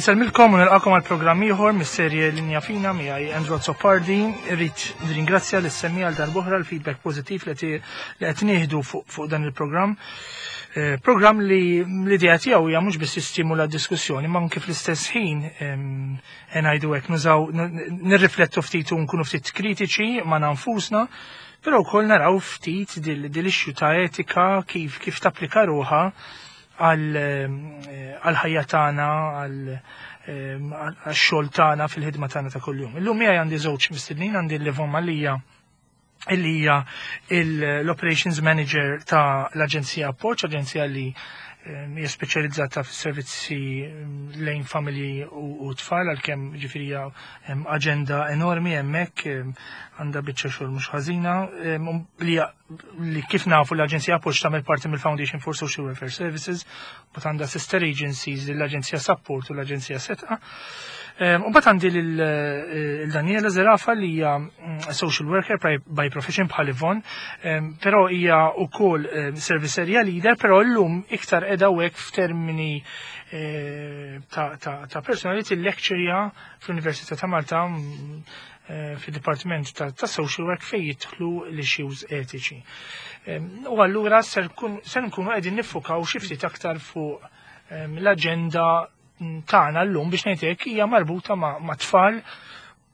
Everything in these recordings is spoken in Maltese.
Insellmilkom u nilqakom għal programm ieħor mis-serje Linja Fina miegħi Andrew Azzopardi. Irrid nirringrazzja lis semmi għal darb'oħra l-feedback pożittiv li qed nieħdu fuq dan il-programm. Eh, programm li l-idea tiegħu hija mhux biss jistimula d-diskussjoni, ma anke fl-istess ħin eh, ngħidu hekk nużaw nirriflettu ftit u nkunu ftit kritiċi ma' nfusna, però wkoll naraw ftit dil-issue ta' etika kif kif tapplika ruħha għal-ħajja tagħna, għal-xogħol tagħna fil-ħidma tagħna ta' kuljum. Illum miegħi għandi żewġ mistednin, għandi l-Livon Malija illi hija l-Operations Manager ta' l-Aġenzija Appoġġ, aġenzija li hija speċjalizzata fis-servizzi lejn familji u tfal għalkemm ġifieri hija aġenda enormi hemmhekk għandha biċċa xogħol mhux ħażina li li kif nafu l-Aġenzija Appoġġ tagħmel parti mill-Foundation for Social Welfare Services, u għandha sister agencies l-Aġenzija Support u l-Aġenzija Setqa. U bat għandi l-Daniela Zerafa li hija social worker by profession bħal Yvonne, però hija wkoll service area leader, però llum iktar qiegħda hekk f'termini eh, ta' personality lecture fl-Università ta' Malta fid-Dipartiment ta' Social Work fejn jidħlu l-issues etiċi. U allura ser nkunu qegħdin niffukaw xi ftit aktar fuq l-aġenda tagħna llum biex ngħid hekk hija marbuta ma' tfal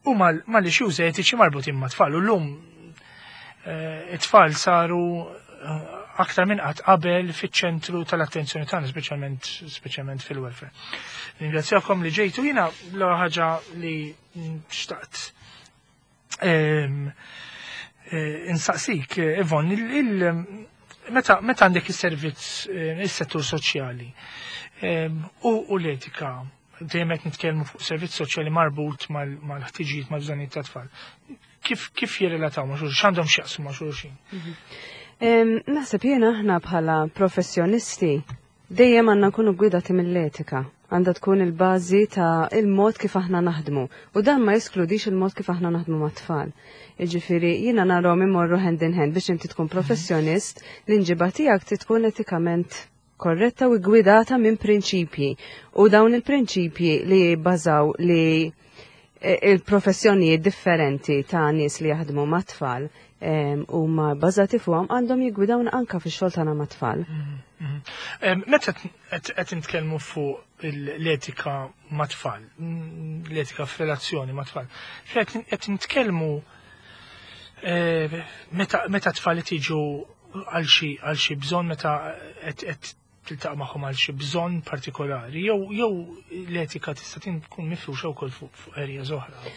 u mal-issues etiċi marbutin ma' tfal. U llum eh, it-tfal saru eh, aktar minn qatt qabel fiċ-ċentru tal-attenzjoni tagħna, speċjalment speċjalment fil-welfare. Ringrazzjakom li ġejtu jiena l ħaġa li xtaqt insaqsik, Ivon, meta għandek is-servizz, is-settur soċjali u l-etika, dejjem qed nitkellmu fuq servizz soċjali marbut mal-ħtiġijiet mal-bżonnijiet ta' tfal. Kif kif jirrelataw ma' xulxin, x'għandhom x'jaqsmu ma' xulxin? Naħseb jiena aħna bħala professjonisti dejjem għandna nkunu gwidati mill-etika. Għandha tkun il-bażi ta' il-mod kif aħna naħdmu. U dan ma jeskludix il-mod kif aħna naħdmu mat-tfal. Jiġifieri jiena narahom imorru hand in hand biex inti tkun professjonist, l-inġiba tiegħek trid tkun etikament korretta u gwidata minn prinċipji. U dawn il-prinċipji li jibbażaw li il-professjonijiet differenti ta' nies li jaħdmu mat-tfal huma bbażati fuqhom għandhom jiggwidawna anka fix-xogħol tagħna mat-tfal. Meta qed nitkellmu fuq l-etika mat-tfal, l-etika f'relazzjoni mat-tfal, qed nitkellmu meta tfal tiġu għal xi bżonn meta qed tiltaqa' magħhom għal xi bżonn partikolari, jew jew l-etika tista' tkun mifruxa wkoll fuq areas oħra.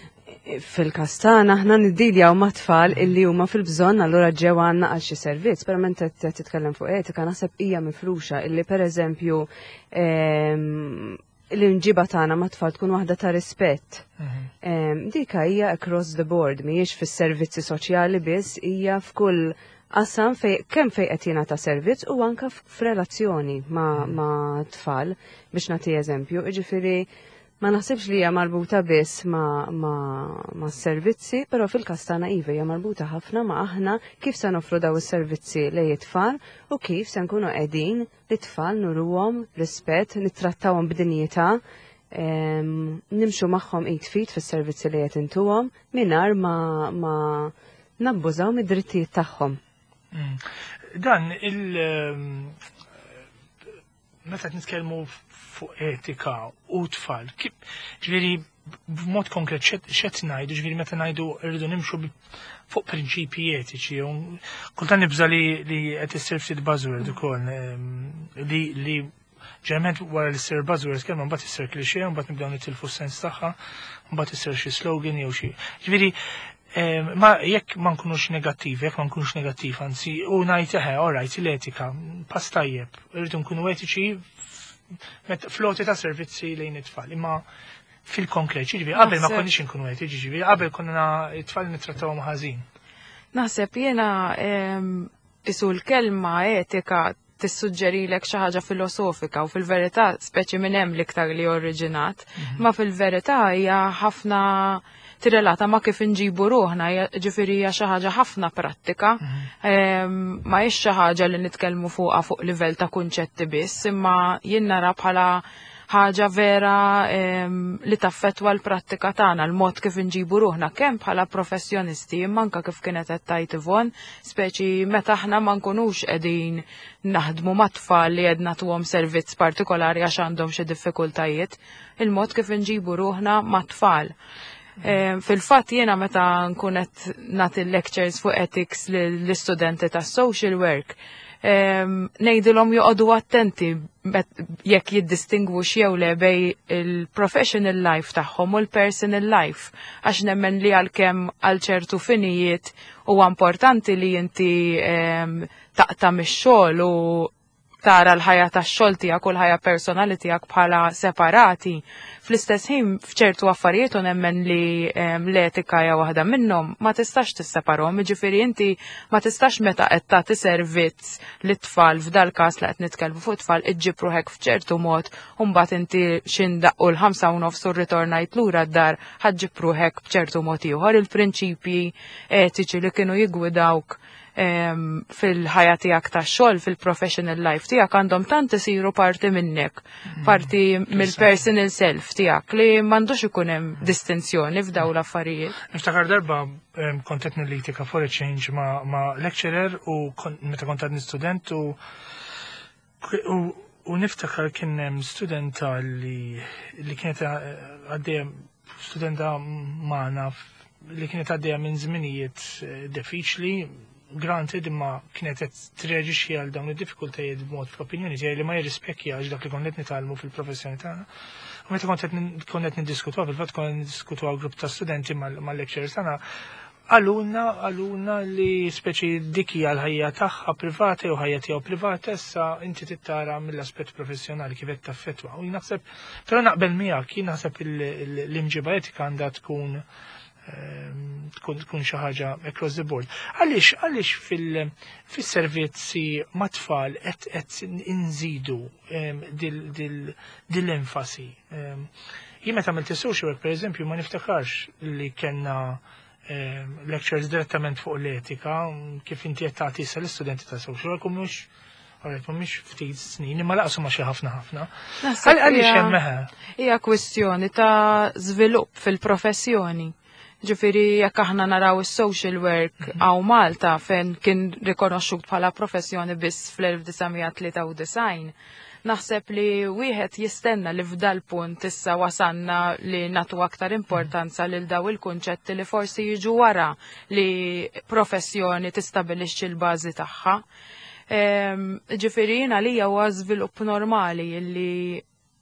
Fil-każ tagħna aħna niddiljaw ma' tfal illi huma fil-bżonn allura ġew għandna għal xi servizz, però meta qed titkellem fuq etika naħseb hija mifruxa illi pereżempju l-imġiba tagħna ma' tfal tkun waħda ta' rispett. Dika hija across the board, mhijiex fis-servizzi soċjali biss, hija f'kull qasam fej kemm fej qed jingħata servizz u anka f'relazzjoni ma tfal biex nagħti eżempju. Jiġifieri ma naħsibx li hija marbuta biss ma servizzi, però fil-każ tagħna iva hija marbuta ħafna ma aħna kif se nofru daw is-servizzi lejn it-tfal u kif se nkunu qegħdin lit-tfal nuruhom rispett, nittrattawhom b'dinjità, nimxu magħhom id f'id fis-servizzi li qed intuhom mingħajr ma nabbużaw mid-drittijiet tagħhom. Dan il meta nitkellmu fuq etika u tfal, ġifieri b'mod konkret x'qed ngħidu, ġifieri meta ngħidu rridu nimxu fuq prinċipji etiċi, kultant nibża li qed issir ftit buzzword ukoll li ġeneralment wara li ssir buzzword kelma mbagħad issir cliché, mbagħad nibdew nitilfu s-sens tagħha, mbagħad issir xi slogan jew xi. Ġifieri ma jekk ma nkunux negattivi, jekk ma nkunux negattiv, anzi, u ngħid eħe, all right, l-etika, pass tajjeb, irridu nkunu etiċi fl-għoti ta' servizzi lejn it-tfal. Imma fil-konkret, ġifieri qabel ma konniex inkunu etiċi, ġifieri qabel konna it-tfal nittrattawhom ħażin. Naħseb jiena isu l-kelma etika tissuġġerilek xi ħaġa filosofika u fil-verità speċi minn hemm l-iktar li oriġinat, ma fil-verità hija ħafna tirrelata ma kif inġibu ruħna, ġifieri hija xi ħaġa ħafna prattika, ma hix xi ħaġa li nitkellmu fuqha fuq livell ta' kunċetti biss, imma jien nara bħala ħaġa vera li taffetwa l-prattika tagħna, l-mod kif inġibu ruħna kemm bħala professjonisti imma anke kif kienet qed tgħid Yvonne, speċi meta aħna ma nkunux qegħdin naħdmu mat-tfal li qed nagħtuhom servizz partikolari għax għandhom xi diffikultajiet, il-mod kif inġibu ruħna mat-tfal. Fil-fatt jiena meta nkun qed nagħti lectures fuq ethics lill-istudenti tas-social work, ngħidilhom joqogħdu attenti jekk jiddistingwux jew le bejn il-professional life tagħhom u l-personal life, għax nemmen li għalkemm għal ċertu finijiet huwa importanti li inti taqta' mix-xogħol u tara l-ħajja tax-xogħol tiegħek u l-ħajja personali tiegħek bħala separati. Fl-istess ħin f'ċertu affarijiet u nemmen li l-etika hija waħda minnhom ma tistax tisseparhom, jiġifieri inti ma tistax meta qed tagħti servizz lit-tfal, f'dal każ li qed nitkellmu fuq tfal, iġġib ruħek f'ċertu mod u mbagħad inti x'indaqqu l-5:30 u rritornajt lura d-dar ħa ġġib ruħek b'ċertu mod ieħor. Il-prinċipji etiċi li kienu jiggwidawk fil-ħajja tiegħek tax-xogħol, fil-professional life tiegħek, għandhom tant isiru parti minnek, parti mill-personal self tiegħek li m'għandux ikun hemm distinzjoni f'dawn l-affarijiet. Niftakar darba kont qed nillitika for a change ma' lecturer u meta kont għadni student u niftakar kien hemm studenta li kienet għaddejja, studenta magħna li kienet għaddejja minn żminijiet diffiċli, granted, imma kienet qed treaġixxi għal dawn id-diffikultajiet b'mod fl-opinjoni tiegħi li ma jirrispekkjax dak li konna qed nitgħallmu fil-professjoni tagħna. U meta kont qed niddiskutuha, fil-fatt konna niddiskutuha grupp ta' studenti mal-lecturers tagħna, għaluna li speċi dik hija l-ħajja tagħha privata jew ħajja tiegħu privata, issa inti tittara mill-aspett professjonali kif qed taffettwa. U naħseb, però naqbel miegħek, jien naħseb l-imġiba etika għandha tkun xi ħaġa across the board. Għaliex fis-servizzi mat-tfal qed inżidu dil-enfasi? Jien meta għamilt social work, per eżempju, ma niftakarx li kellna lectures direttament fuq l-etika, kif inti qed tagħti issa l-istudenti ta' social work, u mhux għalet mhumiex ftit snin, imma laqsu ma xi ħafna ħafna. Għaliex hemm meħe? Hija kwistjoni ta' żvilupp fil-professjoni. Ġifieri jekk aħna naraw is-social work hawn Malta, fejn kien rikonoxxut bħala professjoni biss fl-1993, naħseb li wieħed jistenna li f'dal punt issa wasanna li nagħtu aktar importanza lil daw il-kunċetti li forsi jiġu wara li professjoni tistabilixxi l-bażi tagħha. Ġifieri jiena li huwa żvilupp normali li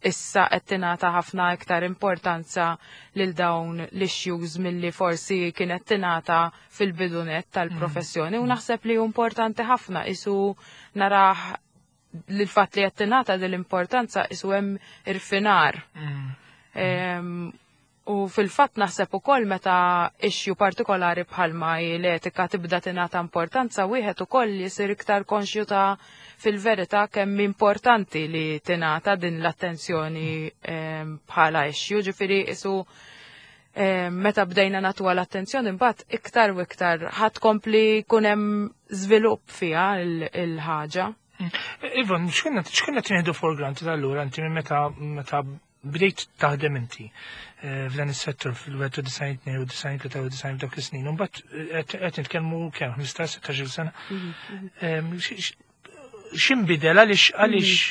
issa qed tingħata ħafna iktar importanza lil dawn l-issues milli forsi kienet tingħata fil-bidunet tal-professjoni, u naħseb li hu importanti ħafna isu narah li l-fatt li qed tingħata din l-importanza isu hemm irfinar. U fil-fatt naħseb ukoll meta issue partikolari bħalma hi l-etika tibda tingħata importanza, wieħed ukoll jisir iktar konxju ta' fil-verità kemm importanti li tingħata din l-attenzjoni bħala issue, ġifieri isu meta bdejna nagħtuha l-attenzjoni mbagħad iktar u iktar ħadd kompli jkun hemm żvilupp fiha il-ħaġa. Yvonne, x'konna tieħdu for granted allura inti minn meta bdejt taħdem inti f'dan is-settur fil-91, 92, 93 f'dak is-snin, u mbagħad qed nitkellmu kemm 15, 16 sena. X'inbidel, għaliex?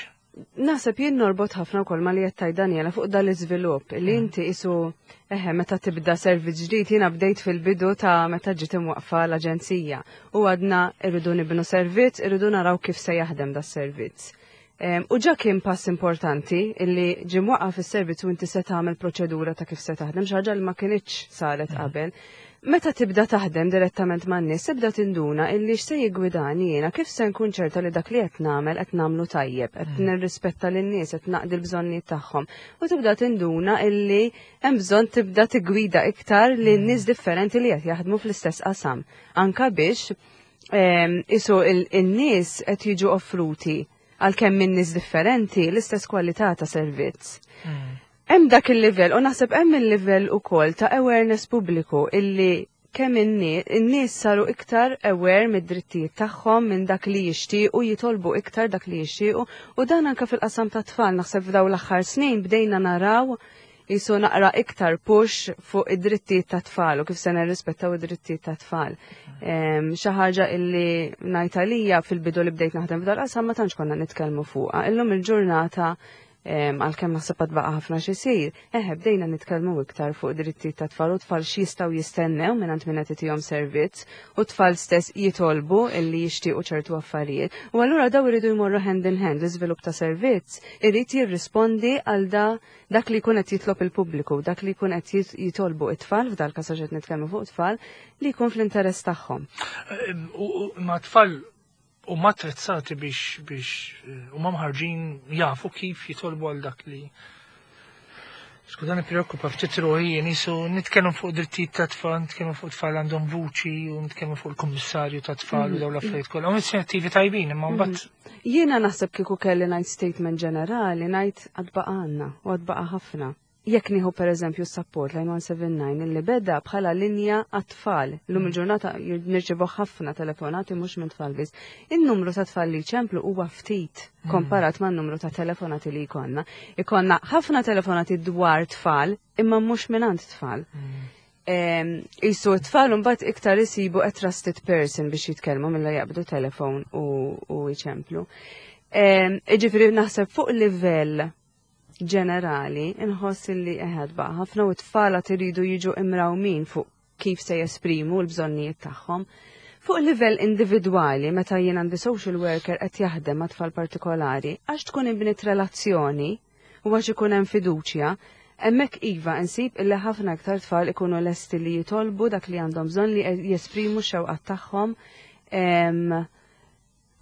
Naħseb jien norbot ħafna wkoll ma li qed tgħid Daniela fuq dan l-iżvilupp li inti isu eħe meta tibda servizz ġdid, jiena bdejt fil-bidu ta' meta ġiet imwaqfa l-aġenzija u għadna irridu nibnu servizz, irridu naraw kif se jaħdem da servizz. U ġa kien pass importanti illi ġie mwaqqaf is-servizz u inti se tagħmel proċedura ta' kif se taħdem, xi ħaġa li ma kinitx saret qabel. Meta tibda taħdem direttament man-nies, tibda tinduna illi x'se jiggwidani jiena, kif se nkun ċerta li dak li qed nagħmel qed nagħmlu tajjeb, qed nirrispetta lin-nies, qed naqdi l-bżonnijiet tagħhom. U tibda tinduna illi hemm bżonn tibda tiggwida iktar lin nies differenti li qed jaħdmu fl-istess qasam. Anka biex isu il-nies qed jiġu offruti għalkemm minn nies differenti l-istess kwalità ta' servizz. Hemm dak il-livell u naħseb hemm il-livell ukoll ta' awareness pubbliku illi Kemm in-nies saru iktar aware mid-drittijiet tagħhom, minn dak li jixtiequ, jitolbu iktar dak li jixtiequ, u dan anke fil-qasam ta' tfal naħseb f'daw l-aħħar snin bdejna naraw jisu naqra iktar push fuq id-drittijiet ta' tfal u kif se nirrispettaw id-drittijiet ta' tfal. Xi ħaġa illi ngħid għalija fil-bidu li bdejt naħdem f'dal-qasam ma tantx konna nitkellmu fuqha. Illum il-ġurnata, għalkemm naħseb għad baqa' ħafna x'isir, eħe, bdejna nitkellmu iktar fuq drittijiet ta' tfal u tfal x'jistgħu jistennew minn min qed itihom servizz u tfal stess jitolbu illi jixtiequ ċertu affarijiet. U allura daw iridu jmorru hand in hand. L-iżvilupp ta' servizz irid jirrispondi għal dak li jkun qed jitlob il-pubbliku, dak li jkun qed jitolbu it-tfal, f'dal każ qed nitkellmu fuq tfal, li jkun fl-interess tagħhom. Ma tfal u attrezzati biex u ma mħarġin jafu kif jitolbu għal dak li. Skużani, preokkupa ftit ruħi nisu nitkellmu fuq drittijiet ta' tfal, nitkellmu fuq tfal għandhom vuċi u nitkellmu fuq il-kummissarju ta' tfal u dawn l-affarijiet kollha. U inizjattivi tajbin, imma mbagħad Jiena naħseb kieku kelli ngħid statement ġenerali, ngħid għad baqa' għandna u għad baqa' ħafna. Jekk nieħu per eżempju support line 179 li beda bħala linja għat-tfal. Lum il-ġurnata nirċevu ħafna telefonati mhux minn tfal biss. In-numru ta' tfal li ċemplu huwa ftit komparat ma' numru ta' telefonati li jkollna. Ikollna ħafna telefonati dwar tfal imma mhux mingħand tfal. Isu t-tfal mbagħad iktar isibu a trusted person biex jitkellmu milli jaqbdu telefon u jċemplu. Iġifieri naħseb fuq livell ġenerali inħoss li eħed baqa' ħafna u t-tfal iridu jiġu imrawmin fuq kif se jesprimu l-bżonnijiet tagħhom. Fuq livell individwali, meta jien għandi social worker qed jaħdem ma' tfal partikolari, għax tkun inbniet relazzjoni u għax ikun hemm fiduċja, hemmhekk iva nsib illi ħafna iktar tfal ikunu lesti li jitolbu dak li għandhom bżonn, li jesprimu x-xewqat tagħhom.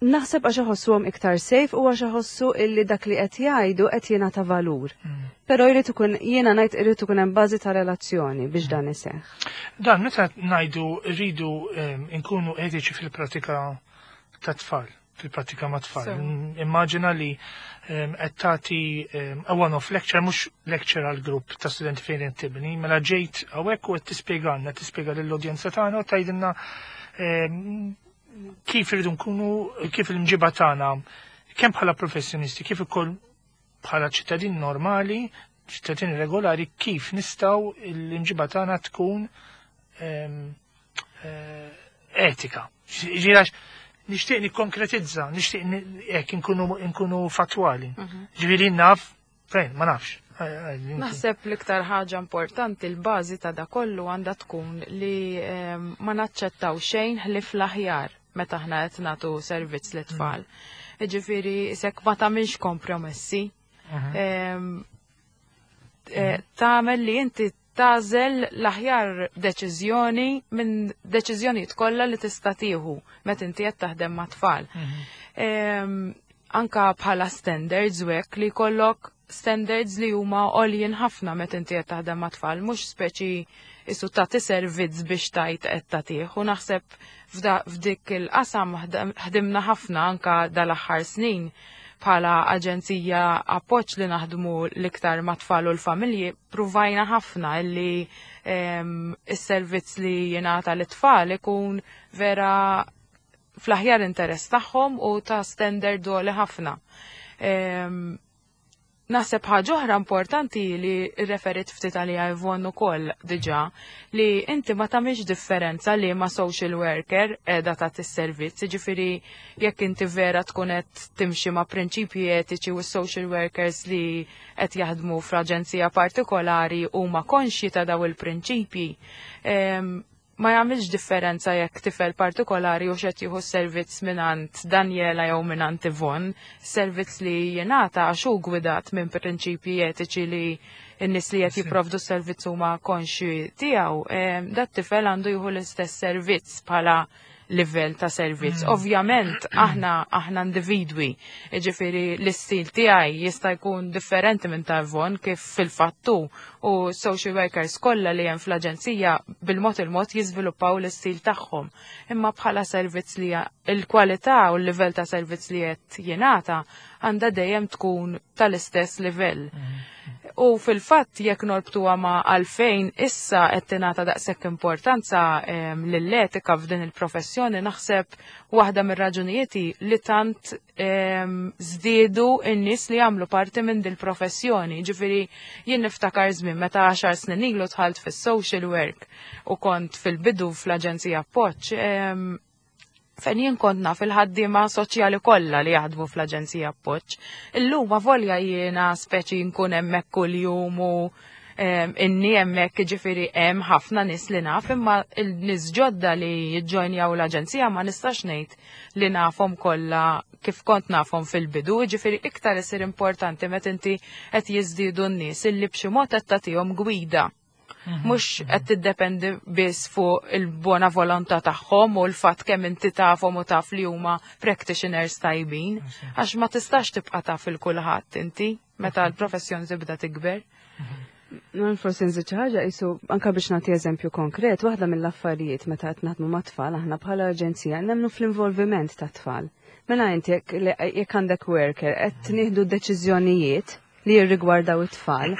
Naħseb għax iħossuhom iktar safe u għax iħossu illi dak li qed jgħidu qed jingħata valur. Però jrid ikun, jiena ngħid, irid ikun hemm bażi ta' relazzjoni biex dan iseħħ. Dan meta ngħidu rridu nkunu etiċi fil-pratika ta' tfal, fil-pratika ma' tfal. Immaġina li qed tagħti a one-off lecture, mhux lecture għal grupp ta' studenti fejn qed tibni, mela ġejt hawnhekk u qed tispjegalna, tispjega lill-udjenza tagħna u tgħidilna kif irridu nkunu, kif l-imġiba tagħna kemm bħala professjonisti kif ukoll bħala ċittadin normali, ċittadini regolari, kif nistgħu l-imġiba tagħna tkun etika. Ġirax, nixtieq nikkonkretizza, nixtieq hekk inkunu fatwali. Ġifieri naf, fejn, ma nafx. Naħseb l-iktar ħaġa importanti, l-bażi ta' da kollu għandha tkun li ma naċċettaw xejn ħlief l-aħjar meta aħna qed nagħtu servizz lit-tfal. Ġifieri sek ma tagħmilx kompromessi. Tagħmel li inti tagħżel l-aħjar deċiżjoni minn deċiżjonijiet kollha li tista' tieħu meta inti qed taħdem ma' tfal. Anka bħala standards u hekk, li jkollok standards li huma għoljin ħafna meta inti qed taħdem ma' tfal, mhux speċi isu tagħti servizz biex tajt qed tagħtih. U naħseb f'dik il-qasam ħdimna ħafna anka dal-aħħar snin bħala aġenzija Appoġġ li naħdmu l-iktar ma' tfal u l-familji, pruvajna ħafna illi is-servizz li jingħata l-tfal ikun vera fl-aħjar interess tagħhom u ta' standard għoli ħafna. Naħseb ħaġa oħra importanti li referit ftit għaliha Yvonne ukoll diġà, li inti ma tagħmilx differenza li ma social worker qiegħda tagħti s-servizz, jiġifieri jekk inti vera tkun qed timxi ma' prinċipji etiċi u social workers li qed jaħdmu fl-aġenzija partikolari huma konxji ta' daw il-prinċipji, ma jagħmilx differenza jekk tifel partikolari u xed jieħu servizz mingħand Daniela jew mingħand Yvonne, servizz li jingħata għax hu gwidat minn prinċipji etiċi li n-nies li qed jipprovdu s-servizz huma konxji tiegħu, dat tifel għandu jieħu l-istess servizz bħala livell ta' servizz. Ovvjament aħna individwi, jiġifieri l-istil tiegħi jista' jkun differenti minn ta' Yvonne, kif fil-fattu u social workers kollha li hemm fl-aġenzija bil-mod il-mod jiżviluppaw l-istil tagħhom. Imma bħala servizz li il-kwalità u l-livell ta' servizz li qed jingħata għandha dejjem tkun tal-istess livell. U fil-fatt jekk norbtuha ma' għalfejn issa qed tingħata daqshekk importanza lill-etika f'din il-professjoni, naħseb waħda mir-raġunijiet li tant żdiedu n-nies li jagħmlu parti minn dil-professjoni. Ġifieri jien niftakar żmien meta 10 snin ilu dħalt fis-social work u kont fil-bidu fl-Aġenzija Appoġġ, fejn jien kont naf il-ħaddiema soċjali kollha li jaħdmu fl-Aġenzija Appoġġ. Illum avolja jiena speċi nkun hemmhekk kuljum u inni hemmhekk, ġifieri hemm ħafna nies li naf, imma l-nies ġodda li jiġġojnjaw l-aġenzija ma nistax ngħid li nafhom kollha kif kont nafhom fil-bidu, ġifieri iktar isir importanti meta inti qed jiżdiedu n-nies illi b'xi mod qed tagħtihom gwida. Mhux qed tiddependi biss fuq il-buona volontà tagħhom u l-fatt kemm inti tafhom u taf li huma practitioners tajbin, għax ma tistax tibqa' taf il kulħadd inti meta l-professjoni tibda tikber. Non forsi nżid xi ħaġa qisu anke biex nagħti eżempju konkret, waħda mill-affarijiet meta qed naħdmu mat-tfal aħna bħala aġenzija nemmnu fl-involviment tat-tfal. Mela inti jekk għandek worker qed nieħdu deċiżjonijiet li jirrigwardaw it-tfal.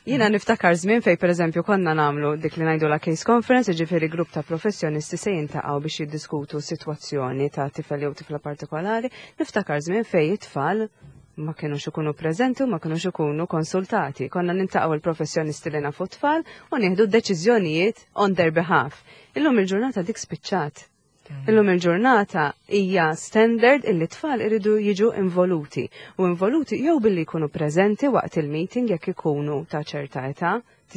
Jiena niftakar żmien fej pereżempju konna nagħmlu dik li ngħidu la case conference, jiġifieri grupp ta' professjonisti se jintaqgħu biex jiddiskutu sitwazzjoni ta' tifel jew tifla partikolari. Niftakar żmien fej it-tfal ma kienux ikunu preżenti u ma kienux ikunu konsultati. Konna nintaqgħu il-professjonisti li nafu tfal u nieħdu deċiżjonijiet on their behalf. Illum il-ġurnata dik spiċċat. Illum il-ġurnata hija standard illi tfal iridu jiġu involuti. U involuti jew billi jkunu preżenti waqt il-meeting jekk ikunu ta' ċerta età,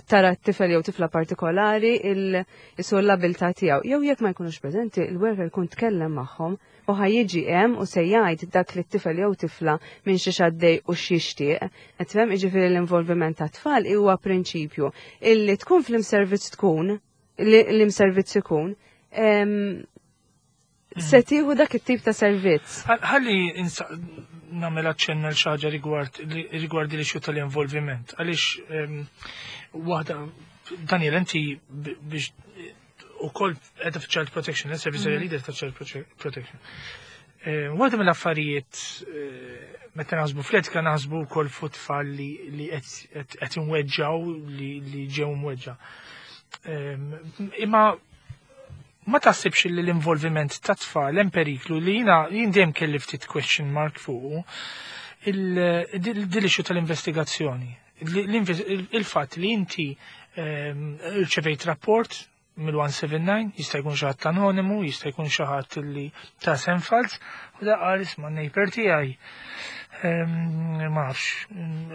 tara t-tifel jew tifla partikolari il-isu l-abilità tiegħu. Jew jekk ma jkunux preżenti, il-worker jkun tkellem magħhom u ħa jiġi hemm u se jgħid dak li t-tifel jew tifla minn xi għaddej u x'jixtieq. Qed tifhem, jiġifieri l-involviment ta' tfal huwa prinċipju illi tkun fl-imservizz tkun, li l-imservizz ikun, se tieħu dak it-tip ta' servizz. Ħalli nagħmel aċċenna l xi ħaġa rigward l-issue tal-involviment. Għaliex waħda, Daniel, inti biex ukoll qiegħda Child Protection, service area leader ta' Child Protection. Waħda mill-affarijiet meta naħsbu fl-etika naħsbu wkoll fuq tfal li qed imweġġaw, li ġew mweġġa. Imma ma taħsibx li l-involviment ta' tfal hemm periklu li jiena jien dejjem kelli ftit question mark fuq il-issue tal-investigazzjoni? Il-fatt li inti rċevejt rapport mill-179, jista' jkun xi ħadd anonimu, jista' jkun xi ħadd li ta' isem falz, u da qal, "Isma', neighbor tiegħi ma nafx,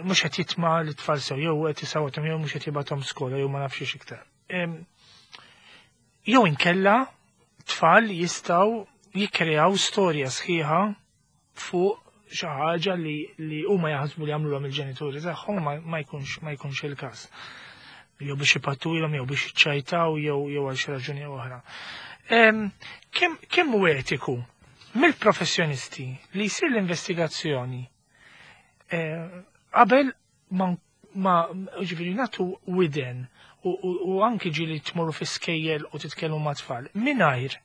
mhux qed jitma' l-tfal sew, jew qed isawwathom, jew mhux qed jibgħathom skola, jew ma nafx iktar." Jew inkella tfal jistgħu jikkreaw storja sħiħa fuq xi ħaġa li huma jaħsbu li għamluhom il-ġenituri tagħhom, ma jkunx il-każ. Jew biex ipattulhom, jew biex iċċajtaw, jew għal xi raġuni oħra. Kemm hu etiku mill-professjonisti li jsir l-investigazzjoni qabel ma ġifieri nagħtu widen u anki ġieli tmorru fi skejjel u titkellmu ma' tfal mingħajr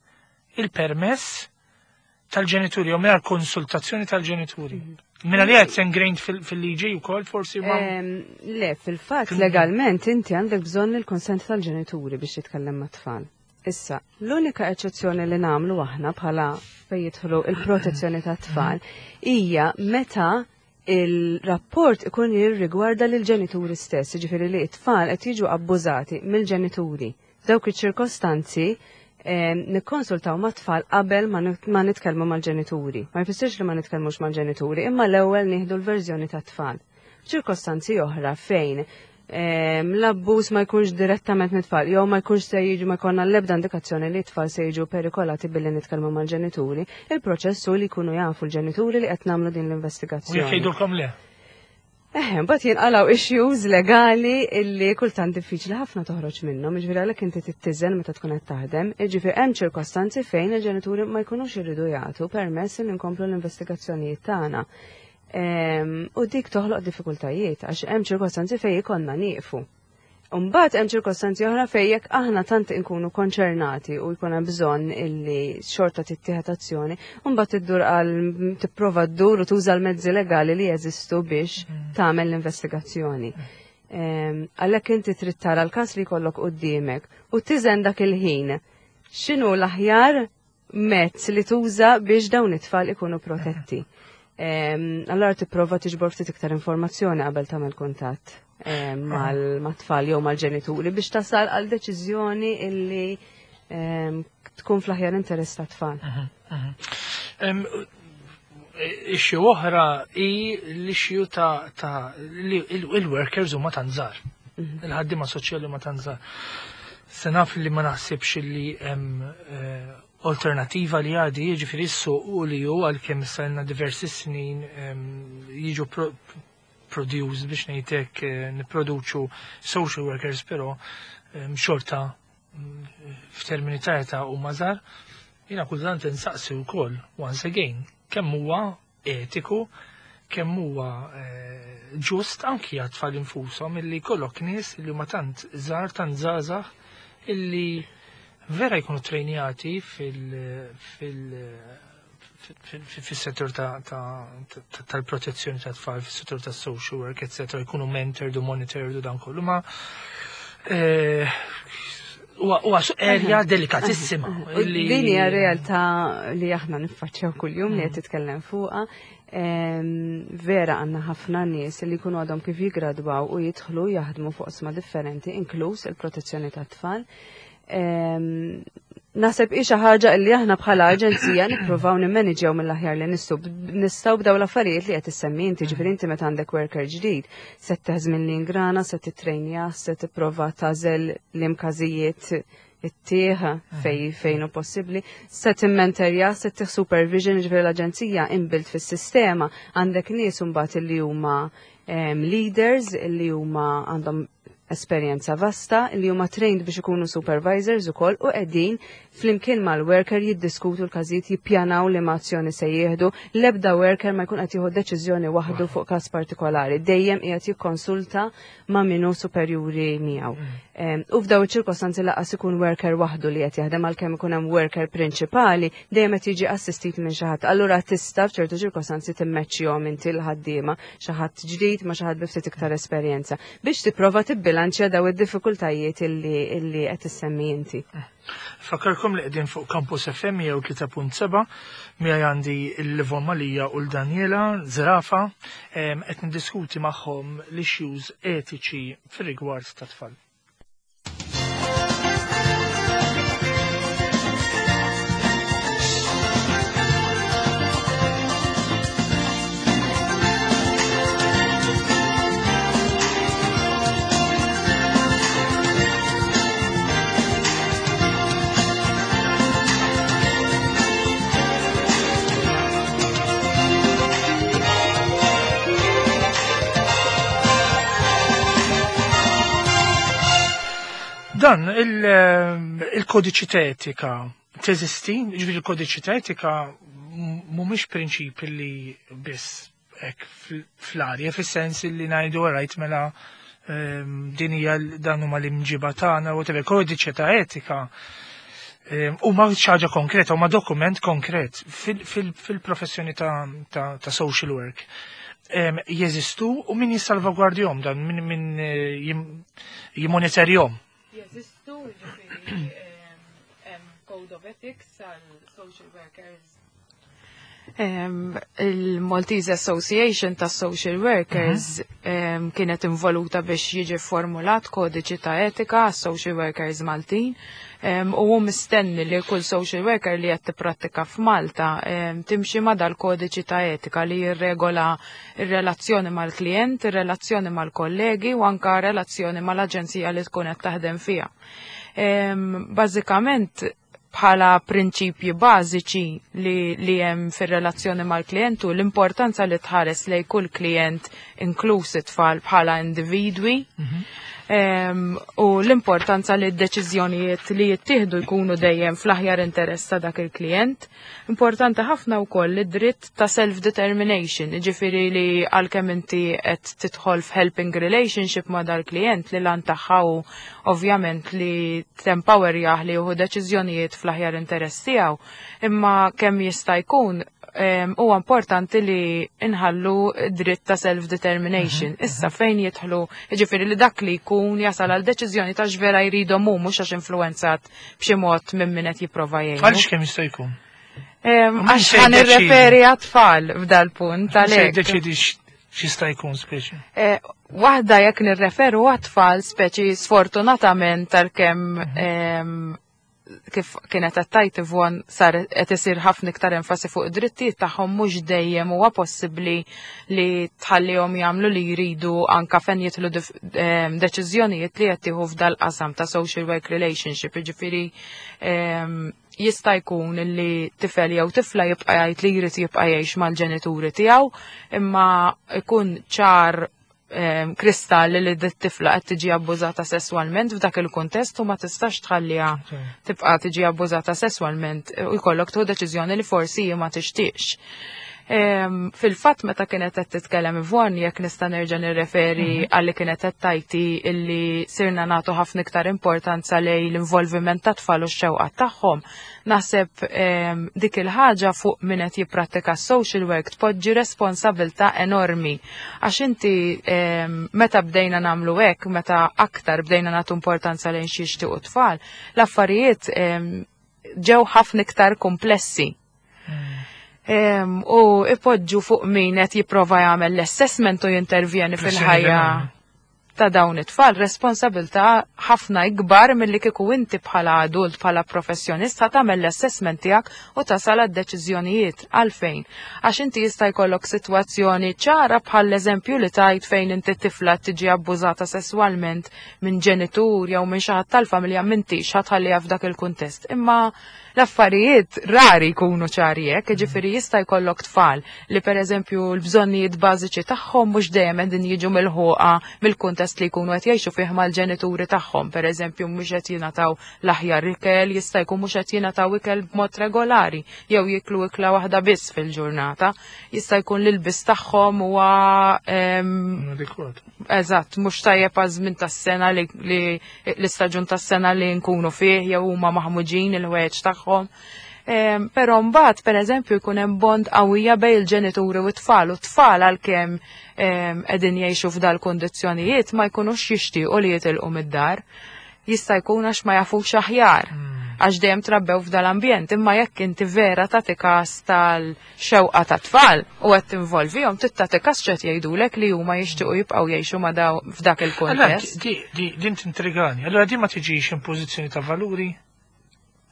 il-permess tal-ġenituri u mingħajr konsultazzjoni tal-ġenituri? Minna li qed ingrained fil-liġi wkoll forsi ma. Le, fil-fatt legalment inti għandek bżonn il-konsent tal-ġenituri biex titkellem ma' tfal. Issa, l-unika eċċezzjoni li nagħmlu aħna bħala fejn jidħlu il-protezzjoni tat-tfal hija meta il-rapport ikun jirrigwarda lil ġenituri stess, ġifieri li t-tfal qed jiġu abbużati mill-ġenituri. F'dawk iċ-ċirkostanzi nikkonsultaw ma' tfal qabel ma nitkellmu mal-ġenituri. Ma jfissirx li ma nitkellmux mal-ġenituri, imma l-ewwel nieħdu l-verżjoni tat-tfal. Ċirkostanzi oħra fejn l-abbuż ma jkunx direttament mit-tfal, jew ma jkunx se jiġu, ma jkollna l-ebda indikazzjoni li t-tfal se jiġu perikolati billi nitkellmu mal-ġenituri, il-proċess hu li jkunu jafu l-ġenituri li qed nagħmlu din U jekk l-investigazzjoni. Jgħidulkom le? Eħe, mbagħad jinqalgħu issues legali illi kultant diffiċli ħafna toħroġ minnhom, jiġifieri għalhekk inti tittiżen meta tkun qed taħdem, jiġifieri hemm ċirkostanzi fejn il-ġenituri ma jkunux iridu jagħtu permess li nkomplu l-investigazzjonijiet tagħna. U dik toħloq diffikultajiet għax hemm ċirkostanzi fejn ikollna nieqfu. Mbagħad hemm ċirkostanzi oħra fejn jekk aħna tant inkunu konċernati u jkun hemm bżonn illi xorta tittieħed azzjoni, mbagħad iddur għal tipprova ddur u tuża l-mezzi legali li jeżistu biex tagħmel l-investigazzjoni. Għalhekk inti trid tara l-każ li jkollok quddiemek u tiżen dak il-ħin x'inhu l-aħjar mezz li tuża biex dawn it-tfal ikunu protetti. Allora tipprova tiġbor ftit iktar informazzjoni qabel tagħmel kuntatt mal-tfal jew mal-ġenituri biex tasal għal deċiżjoni illi tkun fl-aħjar interess ta' tfal. Issue oħra hi l-issue ta' il-workers huma tant żgħar. Il-ħaddiema soċjali huma tant żgħar. Se naf li ma naħsibx li hemm alternativa li għadi, jiġifieri s-suq u li hu għalkemm issa ilna diversi snin jiġu produce biex ngħidlek nipproduċu social workers, però xorta f'termini ta' età huma żgħar. Jiena kultant insaqsi wkoll once again kemm huwa etiku, kemm huwa ġust anki għat-tfal infushom illi jkollok nies li huma tant żgħar, tant żgħażagħ illi vera jkunu trejnjati fil-settur tal-protezzjoni tat-tfal, fis-settur tas-social work, etc. jkunu mentored u monitored u dan kollu, ma huwa area delikatissima. Din hija realtà li aħna niffaċċjaw kuljum li qed titkellem fuqha. Vera għandna ħafna nies li jkunu għadhom kif jigradwaw u jidħlu jaħdmu fuq oqsma differenti, inkluż il-protezzjoni tat-tfal. Naħseb hi xi ħaġa li aħna bħala aġenzija nippruvaw nimmaniġġjaw mill-aħjar li nistgħu b'daw l-affarijiet li qed issemmi inti, ġifieri inti meta għandek worker ġdid, se teħżmin li ingrana, se titrejnja, se tipprova tagħżel l-imkażijiet it-tieħ fejn hu possibbli, se timmenterja, se tieħ supervision, ġifieri l-aġenzija inbuilt fis-sistema, għandek nies imbagħad li huma leaders li huma għandhom esperjenza vasta li huma trained biex ikunu supervisors ukoll u qegħdin flimkien mal-worker jiddiskutu l-każijiet, jippjanaw li azzjoni se jieħdu. L-ebda worker ma jkun qed jieħu deċiżjoni waħdu fuq każ partikolari, dejjem qiegħed jikkonsulta ma' minnu superjuri miegħu. U f'daw iċ-ċirkostanzi lanqas ikun worker waħdu li qed jaħdem, għalkemm ikun hemm worker prinċipali, dejjem qed jiġi assistit minn xi ħadd. Allura tista' f'ċertu ċirkostanzi timmeċċjhom inti l-ħaddiema, xi ħadd ġdid ma' xi ħadd bi ftit iktar esperjenza biex tipprova tibbilanċja daw id-diffikultajiet illi qed issemmi inti. Fakkarkom li qegħdin fuq Campus FM jew 3.7, miegħi għandi l-Livon Malija u l-Daniela Zerafa, qed niddiskuti magħhom l-issues etiċi fir-rigward ta' tfal. Dan il-kodiċi ta' etika teżisti, ġifieri il-kodiċi ta' etika mhumiex prinċipi li biss hekk fl-arja, fis-sens li ngħidu rajt mela din hija dan huma l-imġiba tagħna u tebe kodiċi ta' etika huma xi ħaġa konkreta, huma dokument konkret fil-professjoni ta' social work. Jeżistu u min jissalvagwardjhom dan, min jimmonitorjhom? Jeżistu, ġifieri, Code of Ethics għal social workers. Il-Maltese Association ta' Social Workers kienet involuta biex jiġi formulat kodiċi ta' etika għas social workers Maltin, u hu mistenni li kull social worker li qed tipprattika f'Malta timxi ma' dal-kodiċi ta' etika li jirregola ir-relazzjoni mal-klient, ir-relazzjoni mal-kollegi u anka relazzjoni mal-aġenzija li tkun qed taħdem fiha. Bażikament bħala prinċipji bażiċi li hemm fir-relazzjoni mal-klient u l-importanza li tħares lej kull klient inkluż it-tfal bħala individwi. U l-importanza li d-deċiżjonijiet li jittieħdu jkunu dejjem fl-aħjar interess ta' dak il-klient. Importanti ħafna wkoll id-dritt ta' self-determination, jiġifieri li għalkemm inti qed tidħol f'helping relationship ma' dal-klient li l-għan tagħha hu ovvjament li tempowerjah li jieħu deċiżjonijiet fl-aħjar interess tiegħu, imma kemm jista' jkun huwa importanti li inħallu dritt ta' self-determination. Issa fejn jidħlu, jiġifieri li dak li jkun jasal għal deċiżjoni ta' x'vera jridhom hu, mhux għax influenzat b'xi mod minn min qed jipprova jgħinu. Għaliex kemm jista' jkun? Għax Min se ħa jiddeċiedi? nirreferi għat-tfal f'dal-punt Se għalhekk. jiddeċiedi x'jista' jkun speċi. Waħda jekk nirreferu għat-tfal speċi sfortunatament tal-kemm kif kienet qed tgħid Yvonne, sar qed isir ħafna iktar enfasi fuq id-drittijiet tagħhom, mhux dejjem huwa possibbli li tħallihom jagħmlu li jridu anka fejn jidħlu deċiżjonijiet li qed tieħu f'dal-qasam ta' social work relationship, jiġifieri jista' jkun li tifel jew tifla jibqa' jgħid li jrid jibqa' jgħix mal-ġenituri tiegħu, imma ikun ċar kristall li d-tifla qed tiġi abbużata sesswalment f'dak il-kuntest u ma tistax tħalliha tibqa' tiġi abbużata sesswalment u jkollok tieħu deċiżjoni li forsi hi ma tixtieqx. Fil-fatt meta kienet qed titkellem Yvonne, jekk nista' nerġa' nirreferi għalli kienet qed tgħid illi sirna nagħtu ħafna iktar importanza lejn l-involviment ta' tfal u x-xewqat tagħhom, naħseb dik il-ħaġa fuq min qed jipprattika social work tpoġġi responsabilità enormi. Għax inti meta bdejna nagħmlu hekk, meta aktar bdejna nagħtu importanza lejn xi jixtiequ tfal, l-affarijiet ġew ħafna iktar komplessi. U ipoġġu fuq min qed jipprova jagħmel l-assessment u jintervjeni Pressjoni fil-ħajja enormi. ta' dawn it-tfal responsabilità ħafna ikbar milli kieku inti bħala adult, bħala professjonista tagħmel l-assessment tiegħek u tasal għad-deċiżjonijiet. Għalfejn? Għax inti jista' jkollok sitwazzjoni ċara bħal eżempju li tajt fejn inti tifla tiġi abbużata sesswalment minn ġenitur jew minn xi ħadd tal-familja, m'intix ħa tħalliha f'dak il-kuntest. Imma l-affarijiet rari jkunu ċari hekk, jiġifieri jista' jkollok tfal li pereżempju l-bżonnijiet bażiċi tagħhom mhux dejjem qegħdin jiġu milħuqa mill-kuntest li jkunu qed jgħixu fih mal-ġenituri tagħhom. Pereżempju mhux qed jingħataw l-aħjar ikel, jista' jkun mhux qed jingħataw ikel b'mod regolari jew jiklu ikla waħda biss fil-ġurnata. Jista' jkun l-ilbis tagħhom huwa Adekwat. Eżatt, mhux tajjeb għaż-żmien tas-sena li l-istaġun tas-sena li nkunu fih jew huma maħmuġin il-ħwejjeġ tagħhom. Però mbagħad pereżempju jkun hemm bond qawwija bejn il-ġenituri u t-tfal, u t-tfal għalkemm qegħdin jgħixu f'dal-kundizzjonijiet ma jkunux jixtiequ li jitilqu mid-dar. Jista' jkun għax ma jafux aħjar, għax dejjem trabbew f'dal-ambjent, imma jekk inti vera tagħti każ tal-xewqa ta' tfal u qed tinvolvihom, trid tagħti każ x'qed jgħidulek li huma jixtiequ jibqgħu jgħixu ma' daw f'dak il-kuntest. Allora, din tintrigani. Allora din ma tiġix impożizzjoni ta' valuri?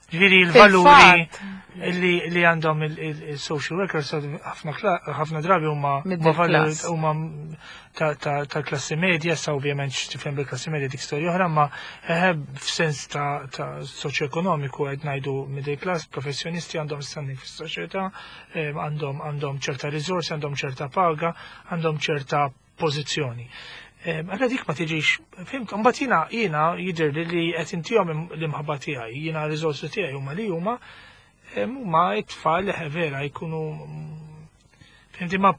Ġifieri l-valuri Fil-fatt. li għandhom il-social workers ħafna drabi huma Middle ma valuri class. huma ta' klassi medja, sa ovvjament x'tifhem bil-klassi medja dik storja oħra, ma f'sens ta' soċjoekonomiku qed ngħidu middle class, professjonisti għandhom standing fis-soċjetà, għandhom ċerta riżorsi, għandhom ċerta paga, għandhom ċerta pożizzjoni. Allora dik ma tiġix, fimt, mbagħad jiena jidher li qed intihom l-imħabba tiegħi, jiena r-riżorsi tiegħi huma li huma, huma t-tfal li vera jkunu, fimti, ma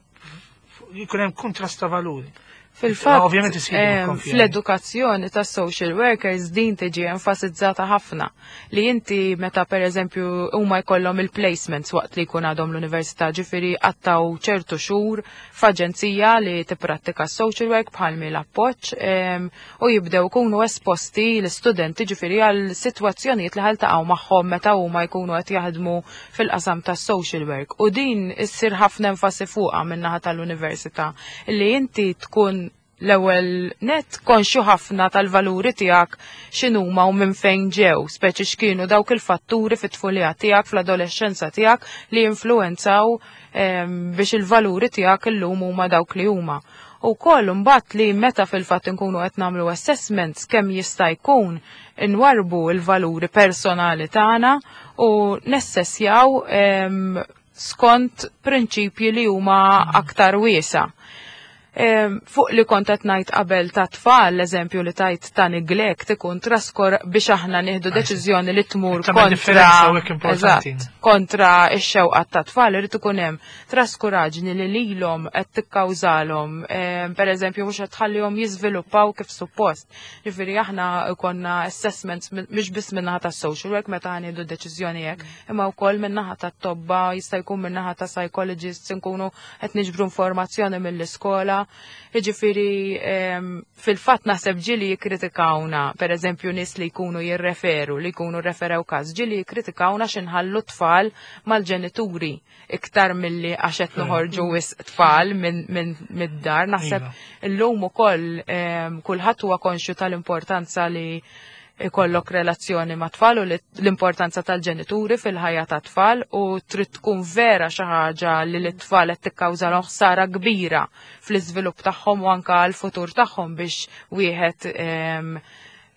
jkun hemm kontrast ta' valuri. Fil-fatt, Ovvjament isir konfjani. fl-edukazzjoni ta' social workers din tiġi enfasizzata ħafna li inti meta per eżempju huma jkollhom il-placements waqt li jkun għadhom l-università, ġifieri qattaw ċertu xhur f'aġenzija li tipprattika social work bħal mi l-appoġġ, u jibdew ikunu esposti l-istudenti ġifieri għal sitwazzjonijiet li ħa jiltaqgħu magħhom meta huma jkunu qed jaħdmu fil-qasam tas social work. U din issir ħafna enfasi fuqha min-naħa tal-università li inti tkun l-ewwel net konxju ħafna tal-valuri tiegħek x'inhuma u minn fejn ġew, speċi x'kienu dawk il-fatturi fit-tfulija tiegħek, fl-adolescenza tiegħek li influenzaw biex il-valuri tiegħek illum huma dawk li huma. U koll mbagħad li meta fil-fatt inkunu qed nagħmlu assessments kemm jista' jkun inwarbu l-valuri personali tagħna u nessessjaw skont prinċipji li huma aktar wiesa. Fuq li kont qed ngħid qabel ta' tfal, l-eżempju li tajt ta' neglect ikun traskor biex aħna nieħdu deċiżjoni li tmur kontra kontra x-xewqa ta' tfal, irid ikun hemm traskuraġni li lilhom qed tikkawżalhom, pereżempju mhux qed tħallihom jiżviluppaw kif suppost. Ġifieri aħna konna assessments mhux biss min-naħa tas-social work meta nieħdu deċiżjoni hekk, imma wkoll min-naħa tat-tobba, jista' jkun min-naħa ta' psychologists, nkunu qed niġbru informazzjoni mill-iskola. Jiġifieri fil-fatt naħseb ġieli jikkritikawna, pereżempju nies li jkunu jirreferu, li jkunu referew każ, ġieli jikkritikawna x'inħallu tfal mal-ġenituri iktar milli għax qed noħorġu wisq tfal minn mid-dar. Naħseb illum ukoll kulħadd huwa konxju tal-importanza li ikollok relazzjoni ma' tfal u l-importanza tal-ġenituri fil-ħajja ta' tfal u trid tkun vera xi ħaġa li l-tfal qed tikkawżalhom ħsara kbira fl-iżvilupp tagħhom u anke għall-futur tagħhom biex wieħed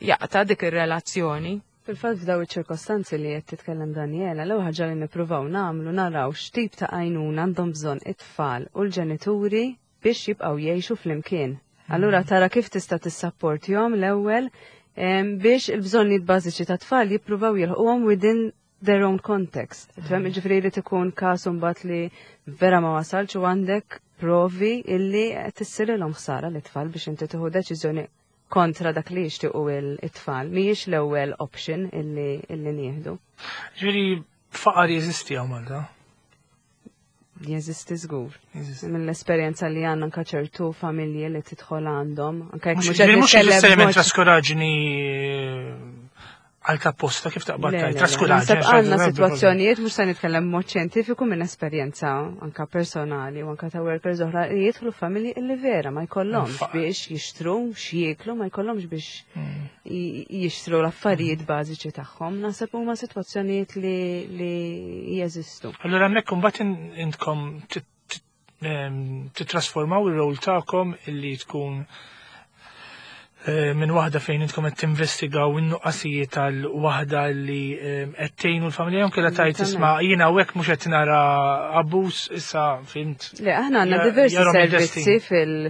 jaqta' dik ir-relazzjoni. Fil-fatt f'daw iċ-ċirkostanzi li qed titkellem Daniela, l-ewwel ħaġa li nippruvaw nagħmlu naraw x'tip ta' għajnuna għandhom bżonn it-tfal u l-ġenituri biex jibqgħu jgħixu flimkien. Allura tara kif tista' tissapportihom l-ewwel biex il-bżonnijiet bażiċi ta' tfal jippruvaw jilħquhom within their own context. Tifhem, jiġifieri jrid ikun każ imbagħad li vera ma wasalx u għandek provi illi qed issirilhom ħsara lit-tfal biex inti tieħu deċiżjoni kontra dak li jixtiequ it-tfal. Mhijiex l-ewwel option illi illi nieħdu. Ġifieri faqar jeżisti hawn Malta? Jeżisti żgur. Mill-esperjenza li għandna anka ċertu familji li tidħol għandhom. Anka jekk mhux qed nitkellem traskuraġni għal ta' posta kif taqbad tajt traskuraġni. Għandna sitwazzjonijiet mhux se nitkellem mod xjentifiku minn esperjenza anka personali u anka ta' workers oħra li jidħlu familji illi vera ma jkollhomx biex jixtru x'jieklu, ma jkollhomx biex jixtru l-affarijiet bażiċi tagħhom, naħseb huma sitwazzjonijiet li, li jeżistu. Allura hemmhekk imbagħad intkom titrasformaw ir-rol tagħkom illi tkun minn waħda fejn intkom qed tinvestigaw in-nuqqasijiet tal waħda li qed tgħinu l-familja jew kellha tgħid isma' jiena hawnhekk mhux qed nara abbuż issa fimt. Le, aħna għandna diversi servizzi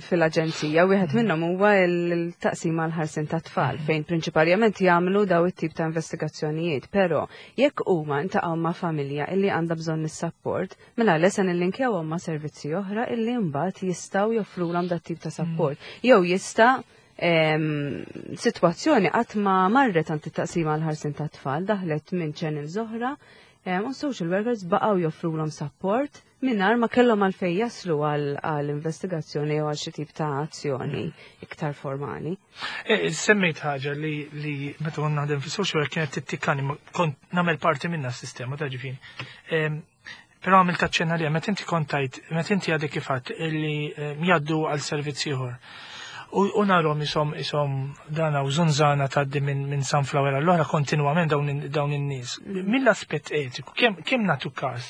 fil-aġenzija, wieħed minnhom huwa l-taqsima l-ħarsin ta' tfal, fejn prinċipalment jagħmlu daw it-tip ta' investigazzjonijiet, però jekk huma ntaqgħu ma' familja illi għandha bżonn is-sapport, mela le se nillinkjawhom ma' servizzi oħra illi mbagħad jistgħu joffrulhom dat tip ta' sapport. Jew jista' sitwazzjoni qatt ma marret għand it-taqsima l-ħarsin ta' tfal, daħlet minn channels oħra, u social workers baqgħu joffrulhom sapport mingħajr ma kellhom għalfejn jaslu għal investigazzjoni jew għal xi tip ta' azzjoni iktar formali. Semmejt ħaġa li li meta kont naħdem fis-social work kienet tittikkani, kont nagħmel parti minna s-sistema ta' ġifieri. Però għamilt aċċenna li meta inti kont tajt, meta inti għadek kif għedt illi jgħaddu għal servizz ieħor. U narhom isom isom dana u żunżana tgħaddi minn sunflower għall-oħra kontinwament dawn in-nies. Mill-aspett etiku, kemm nagħtu każ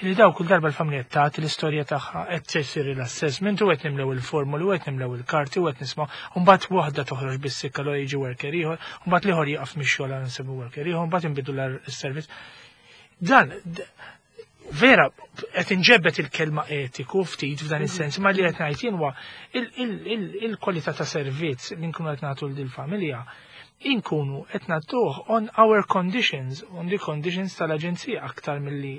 li daw kull darba l-familja tagħti l-istorja tagħha qed jsir l-assessment u qed nimlew il-formuli u qed nimlew il-karti u qed nisma' u mbagħad waħda toħroġ bis-sikka l jiġi worker ieħor, u mbagħad l-ieħor jieqaf mix-xogħol għal nsibu worker ieħor, mbagħad inbidu l-servizz. Dan vera qed inġebbet il-kelma etiku ftit f'dan is-sens, ma li qed ngħid jien huwa il-kwalità ta' servizz li nkunu qed nagħtu lil familja inkunu qed nagħtuh on our conditions, on the conditions tal-aġenzija aktar milli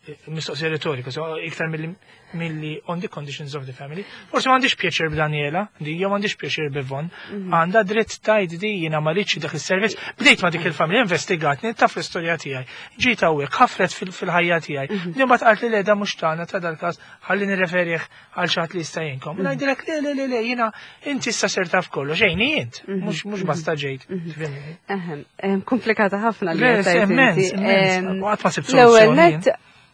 mistoqsija retorika, so iktar milli on the conditions of the family. Forsi m'għandix pjaċir b'Daniela, di jew m'għandix pjaċir b'Ivon, għandha dritt tgħid di jiena ma rridx dak is-servizz. Bdejt ma' dik il-familja investigatni, taf l-istorja tiegħi. Ġiet hawnhekk, ħafret fil-ħajja tiegħi. Din mbagħad qalt li le da mhux tagħna ta' dal-każ ħalli nirreferih għal xi ħadd li jista' jgħinkom. Ngħidilek le le le le jiena inti issa ser taf kollox, għejni int, mhux basta ġejt. Tifhimni? Ehem, komplikata ħafna li Le, qed tgħid immens, inti. immens. Qatt ma sibt L-ewwel soluzzjoni. nett,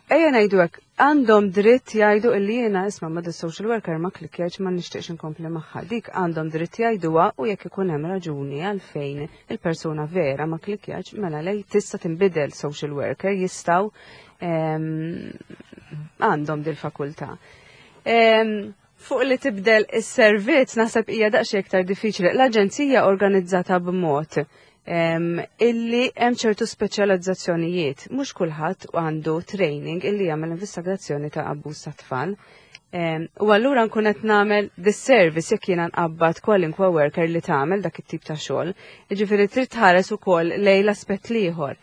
ejja ngħidu hekk, għandhom dritt jgħidu illi jiena isma' ma' social worker ma klikkjajtx ma nixtieqx inkompli magħha. Dik għandhom dritt jgħiduha u jekk ikun hemm raġuni għalfejn il-persuna vera ma klikkjajtx, mela lej tista' tinbidel social worker jistgħu għandhom dil-fakultà. Fuq li tibdel is-servizz naħseb hija daqsxejn iktar diffiċli. L-aġenzija organizzata b'mod illi hemm ċertu speċjalizzazzjonijiet. Mhux kulħadd għandu training illi jagħmel investigazzjoni ta' abbuż ta' tfal. U allura nkun qed nagħmel disservice jekk jiena nqabbad kwalinkwa worker li tagħmel dak it-tip ta' xogħol. Jiġifieri trid tħares ukoll lejn l-aspett l-ieħor.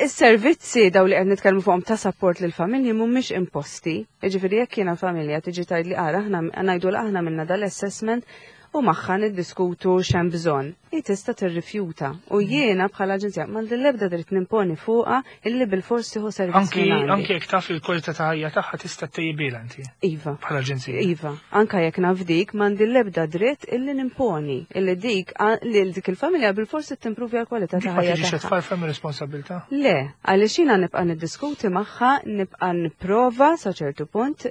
Is-servizzi daw li qed nitkellmu fuqhom ta' support lil familji mhumiex imposti. Jiġifieri jekk jiena familja tiġi tgħid li ara aħna ngħidu li aħna minna dal-assessment u magħha niddiskutu x'hemm bżonn. Hi tista' tirrifjuta u jiena bħala aġenzija m'għandi l-ebda dritt nimponi fuqha illi bilfors tieħu servizz Anki minn għandi. Anki jekk taf li l-kwalità ta' ħajja tagħha tista' ttejjibilha inti Iva. bħala aġenzija. Iva, anka jekk naf dik m'għandi l-ebda dritt illi nimponi illi dik li dik il-familja bilfors timpruvja l-kwalità Dik ta' ma ħajja tiġix tagħha. tfarfar mir-responsabilità. Le, għaliex jiena nibqa' niddiskuti magħha, nibqa' nipprova sa ċertu punt,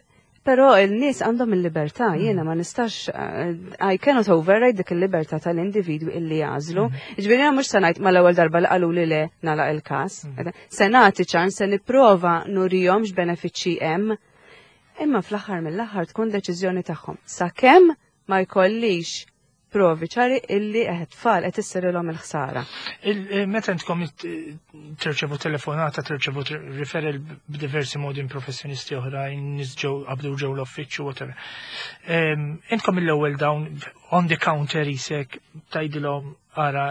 però il-nies għandhom il-libertà, jiena ma nistax, I cannot override dik il-libertà tal-individwi illi jagħżlu. Ġifieri jiena mhux se ngħid mal-ewwel darba li qalu li le nagħlaq il-każ. Se nagħti ċans, se nipprova nurihom x'benefiċċji hemm, imma fl-aħħar mill-aħħar tkun deċiżjoni tagħhom. Sakemm ma jkollix provi ċari illi qed tfal qed issirilhom il-ħsara. Meta intkom tirċevu telefonata, tirċevu referral b'diversi modi minn professjonisti oħrajn, nies ġew qabdu ġew l-uffiċċju, whatever. Intkom mill-ewwel dawn on the counter isek tgħidilhom ara,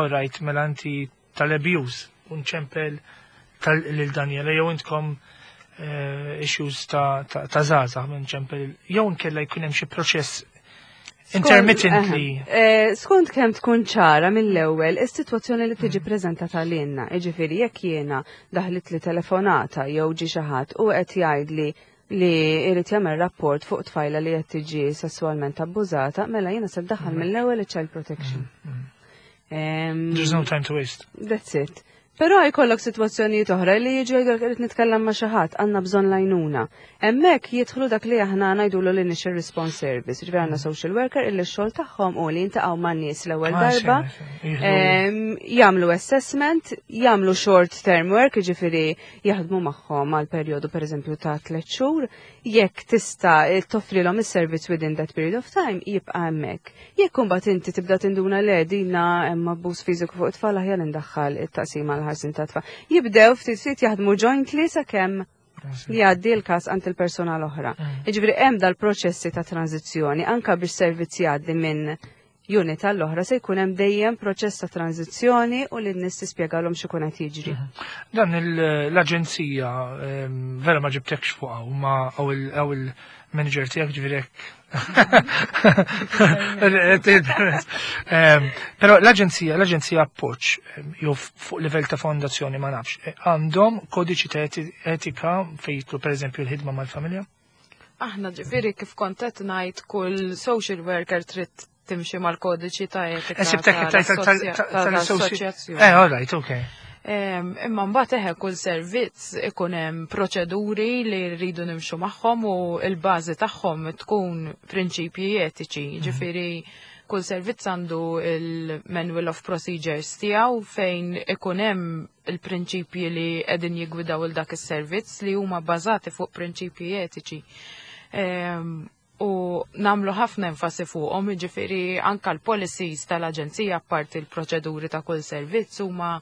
all right, mela inti tal-abuse, unċempel lil Daniela, jew intkom issues ta' żgħażagħ minn ċempel, jew nkella jkun hemm xi proċess intermittently. Skont kemm tkun ċara mill-ewwel is-sitwazzjoni li tiġi preżentata lilna, jiġifieri jekk jiena daħlit li telefonata jew ġi xi ħadd u qed jgħidli li jrid jagħmel rapport fuq tfajla li qed tiġi sesswalment abbużata, mela jiena se daħal mill-ewwel child protection. There's no time to waste. That's it. Però jkollok sitwazzjonijiet oħra li jiġu jgħidulek irid nitkellem ma' xi ħadd, għandna bżonn lajnuna. Hemmhekk jidħlu dak li aħna ngħidulu l-initial response service. Ġifieri għandna social worker illi x-xogħol tagħhom u li jintaqgħu man-nies l-ewwel darba, Jieħdu- jagħmlu assessment, jagħmlu short term work, jiġifieri jaħdmu magħhom għal perjodu pereżempju ta' 3 xhur, jekk tista' toffrilhom is-servizz within that period of time, jibqa' hemmhekk. Jekk imbagħad inti tibda tinduna le dina hemm abbuż fiżiku fuq it-tfal aħjar indaħħal it-taqsima l ħarsin ta' tfal. Jibdew ftit ftit jaħdmu jointly sakemm jgħaddi l-każ għand il-persuna l-oħra. Jiġifieri hemm dal-proċessi ta' tranzizzjoni anka biex servizz jgħaddi minn unit għall-oħra se jkun hemm dejjem proċess ta' tranzizzjoni u li n-nies tispjegalhom x'ikun qed jiġri. Dan l-aġenzija vera ma ġibtekx fuqha u ma għaw il-manager tiegħek ġifieri hekk. Però l-aġenzija Appoġġ, jew fuq livell ta' fondazzjoni ma nafx, għandhom kodiċi ta' etika fejn jidħlu pereżempju l-ħidma mal-familja? Aħna ġifieri kif kont qed ngħid kull social worker trid timxi mal-kodiċi ta' etika Sibtek tal-assoċjazzjoni. All right, okay. Imma mbagħad eħe kull servizz ikun hemm proċeduri li rridu nimxu magħhom u l-bażi tagħhom tkun prinċipji etiċi. Ġifieri kull servizz għandu il-Manual of Procedures tiegħu fejn ikun hemm il-prinċipji li qegħdin jiggwidaw il dak is-servizz li huma bbażati fuq prinċipji etiċi. U namlu ħafna enfasi fuqhom, jiġifieri anka l-policies tal-aġenzija apparti l-proċeduri ta' kull servizz huma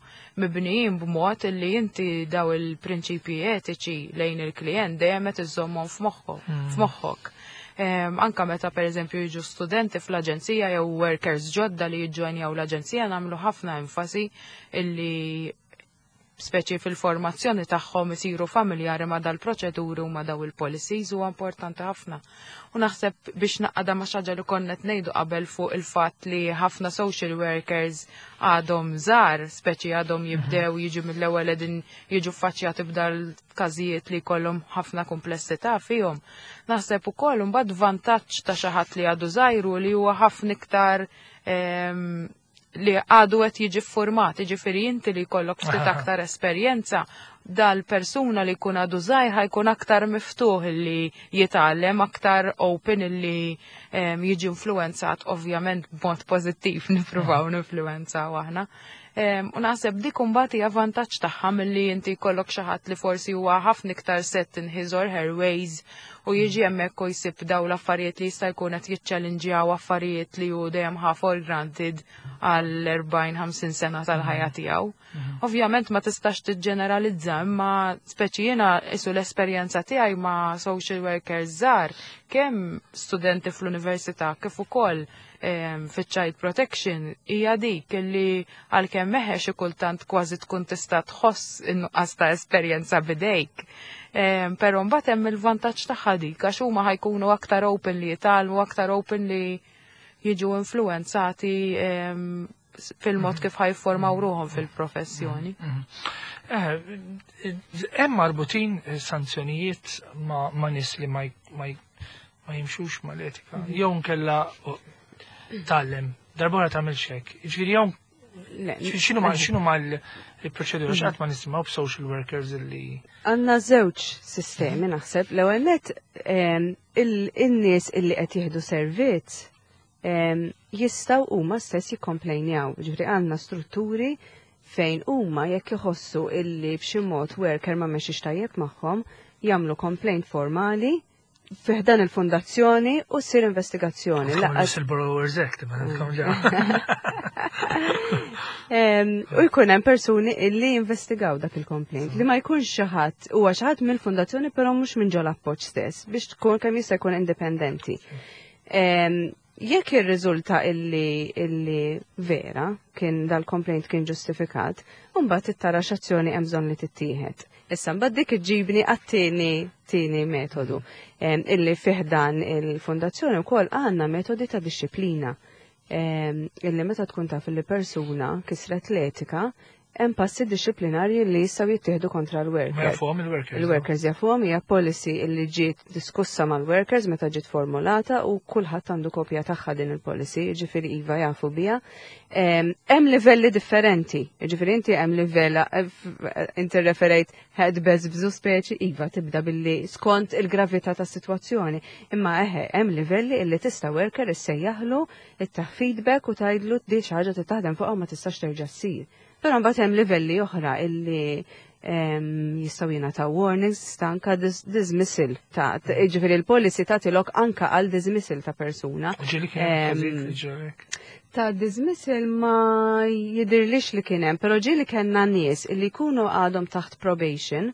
mibnijin b'mod li inti daw il-prinċipji etiċi lejn il-klient dejjem qed iżommhom f'moħħok. Anka meta pereżempju jiġu studenti fl-aġenzija jew workers ġodda li jiġġoinjaw l-aġenzija nagħmlu ħafna enfasi illi speċi fil-formazzjoni tagħhom isiru familjari ma' dal-proċeduri u ma' daw il-policies huwa importanti ħafna. U naħseb biex naqada ma' xi ħaġa li konna qed ngħidu qabel fuq il-fatt li ħafna social workers għadhom żgħar, speċi għadhom jibdew jiġu mill-ewwel qegħdin jiġu ffaċċjati b'dal-każijiet li jkollhom ħafna komplessità fihom. Naħseb ukoll imbagħad vantaġġ ta' xi ħadd li għadu żgħir li huwa ħafna iktar li għadu qed jiġi format, jiġifieri inti li jkollok ftit aktar esperjenza, dal-persuna li jkun għadu żgħir ħajkun aktar miftuħ li jitgħallem, aktar open li jiġi influenzat, ovvjament b'mod pożittiv nippruvaw ninfluwenzaw aħna. U naħseb dik imbagħad hija vantaġġ tagħha milli inti jkollok xi ħadd li forsi huwa ħafna iktar set in his or her ways u jiġi hemmhekk u jsib daw l-affarijiet li jista' jkun qed jiċċellinġjaw affarijiet li hu dejjem ħa for granted għal 40-50 sena tal-ħajja tiegħu. Ovvjament ma tistax tiġġeneralizza, imma speċi jiena isu l-esperjenza tiegħi ma' social workers żgħar, kemm studenti fl-università kif ukoll fiċ-child protection, hija dik illi għalkemm meħe xi kultant kważi tkun tista' tħoss in-nuqqas ta' esperjenza bidejk. Però mbagħad hemm il-vantaġġ tagħha dik għax huma ħa jkunu aktar open li jitgħallmu, aktar open li jiġu influenzati fil-mod kif ħa jifformaw ruħhom fil-professjoni. Hemm marbutin sanzjonijiet ma' nies li ma jimxux mal-etika. Jew nkella tgħallem, darbora tagħmel hekk. Ġifieri jew x'inhu ma l-proċedura x'qatt ma nisimgħu b'social workers li Għandna żewġ sistemi naħseb. L-ewwel net in-nies illi qed jieħdu servizz jistgħu huma stess jikkomplejnjaw. Ġifieri għandna strutturi fejn huma jekk iħossu illi b'xi mod worker ma mexix tajjeb magħhom, jagħmlu complaint formali fi ħdan il-fondazzjoni u ssir investigazzjoni. Whistleblower's Act, ma nafkom ġa. U jkun hemm persuni illi investigaw dak il-complaint li ma jkunx xi ħadd huwa xi ħadd mill-fondazzjoni, però mhux minn ġol Appoġġ stess, biex tkun kemm jista' jkun indipendenti. Jekk irriżulta illi vera kien dal-complaint kien ġustifikat, mbagħad tara x'azzjoni hemm bżonn li tittieħed. Issa mbagħad dik iġġibni għat-tieni tieni metodu illi fih dan il-fondazzjoni wkoll għandna metodi ta' disċiplina illi meta tkun taf li persuna kisret l-etika, hemm passi disċiplinarji li jistgħu jittieħdu kontra Ma l-worker. Jafuhom il-workers. Il-workers jafuhom, hija policy illi ġiet diskussa mal-workers meta ġiet formulata u kulħadd għandu kopja tagħha din il-policy, jiġifieri iva, jafu biha. Hemm livelli differenti, jiġifieri inti hemm livell inti referejt head bżu speċi, iva, tibda billi skont il-gravità tas-sitwazzjoni. Imma eħe, hemm livelli illi tista' worker issejjaħlu, ittih feedback u tgħidlu di xi ħaġa taħdem fuqha u ma tistax terġa' ssir. Però mbagħad hemm livelli oħra illi jistgħu jingħataw warnings, ta' anka dismissal ta' ġifieri il-policy tagħti lok anka għal dismissal ta' persuna. Ġieli kien hemm każijiet li ġarek. Ta' dismissal ma jidirlix li kien hemm, però ġieli kellna nies illi jkunu għadhom taħt probation